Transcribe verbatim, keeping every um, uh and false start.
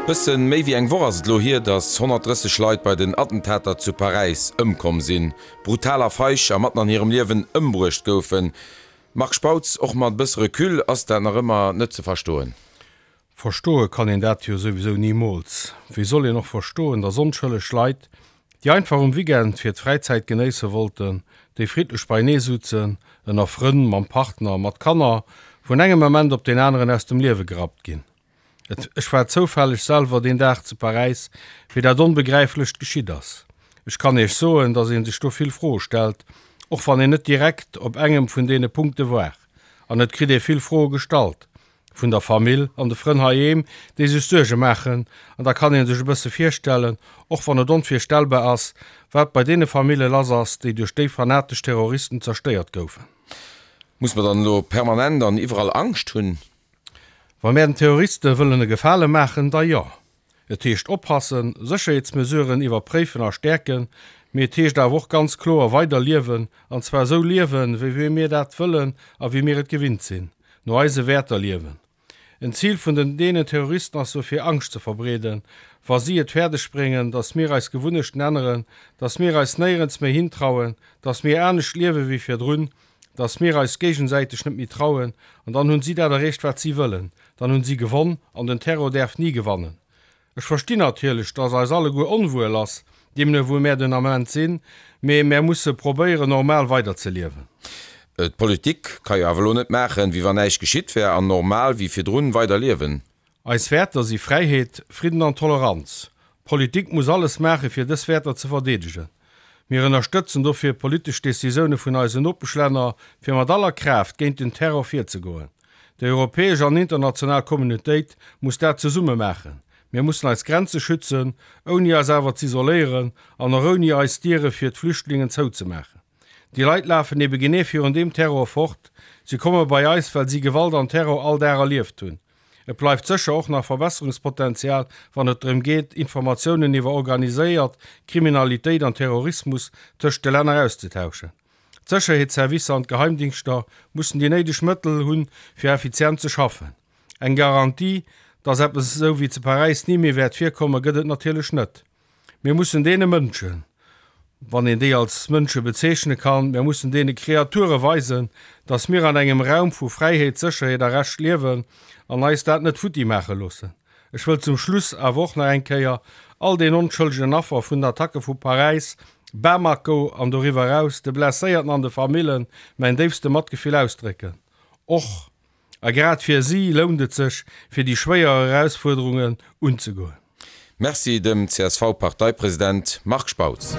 Bëssen méi wéi eng Woch ass et elo hier, datt honnertdrësseg Leit bei den Attentater zu Paräis ëmkomm sinn, brutal a feig a matten an hirem Liewen ëmbruecht goufen. Marc Spautz, och mat e bësse Recul ass dat nach ëmmer net ze verstoen. Verstoe kann een dat jo souwisou nimools. Wéi soll een och verstoen, datt onschëlleg Leit, déi einfach um Weekend fir d'Fräizäit genéisse wollten, déi friddlech beienee sutzen, ënner Frënn, mam Partner, mat Kanner, vun engem Ament op deen aneren aus dem Liewe gerappt ginn? Et, ech war zoufälleg selwer deen Dag zu Paräis, wéi dat Onbegräiflecht geschitt ass. Ech kann Iech soen, dass ee sech do vill Froe stellt, och wann een net direkt op engem vun deene Punkte war. An et kritt ee vill Froe gestallt, vun der Famill an de Frënn heiheem, déi sech Suerge maachen. An da kann ee sech e bësse virstellen, och wann et onvirstellbar ass, wat bei deene Famille lass ass, déi duerch déi fanatesch Terroristen zerstéiert goufen. Muss mer dann elo permanent an iwwerall Angscht hunn? Wa mär den Terroriste wëllen e Gefale maachen, da jo. Et heescht oppassen, Sécherheetsmesuren iwwerpréifen a stäerken, mee et heescht awer och ganz kloer weider liewen, an zwar esou liewen, wéi wéi mir dat wëllen a wéi mir et gewinnt sinn, no eise Wäerter liewen. En Zil vun den deenen Terroristen ass jo fir Angscht ze verbreeden, wa si et fäerdeg bréngen, datt mir eis Gewunnechten änneren, datt mir eis néierens méi hintrauen, datt mir anescht liewe wéi virdrun, dass mir eis géigesäiteg net méi trauen, an dann hunn si dat erreecht wat si wëllen, dann hunn si gewonn, an den Terror däerf ni gewannen. Ech verstinn natierlech, dass eis alleguer onwuel ass, deemno wou mär den Ament sinn, mee mär musse probéieren normal weiderzeliewen. D'Politik ka jo awer elo net maachen, wéi wann näischt geschitt wär, an normal wéi virdrun weider liewen. Eis Wäerter si Fräiheet, Fridden an Toleranz. D'Politik muss alles maache fir dës Wäerter ze verdeedegen. Mir ënnerstëtzen dofir politesch Decisioune vun eisen Nopeschlänner, fir mat aller Kraaft géint den Terror virzegoen. Déi europäesch an international Communautéit muss dat zesumme maachen. Mir mussen eis Grenze schützen, ouni eis awer z'isoléieren an och ouni eis Diere fir d'Flüchtlingen zouzemaachen. Déi Leit lafen ebe genee virun deem Terror fort. Si komme bei eis, well si Gewalt an Terror all Dag erlieft hunn. Et bleift sécher och nach Verbesserungspotenzial, wann et drëm geet, Informatiounen iwwer organiséiert Kriminalitéit an Terrorismus tëscht de Länner auszetauschen. D'Sécherheetsservicer an d'Geheimdingschter mussen déi néideg Mëttel hunn, fir effizient ze schaffen. Eng Garantie, dass eppes esou wéi zu Paräis ni méi wäert virkommen, gëtt et natierlech net. Mir mussen deene Mënschen, wann een déi als Mënsche bezeechne kann, mir mussen deene Kreature weisen, dass mir an engem Raum vu Fräiheet, Sécherheet a Recht liewen an eis dat net futti maache loossen. Ech wëll zum Schluss awer och nach eng Kéier all den onschëllegen Affer vun den Attacke vu Paräis, Bamako an doriwwer eraus, de Blesséierten an de Famillen mäin déifste Matgefill ausdrécken. Och a grad fir si lount et sech, fir déi schwéier Erausfuerderungen unzegoen. Merci dem C S V Parteipresident Marc Spautz.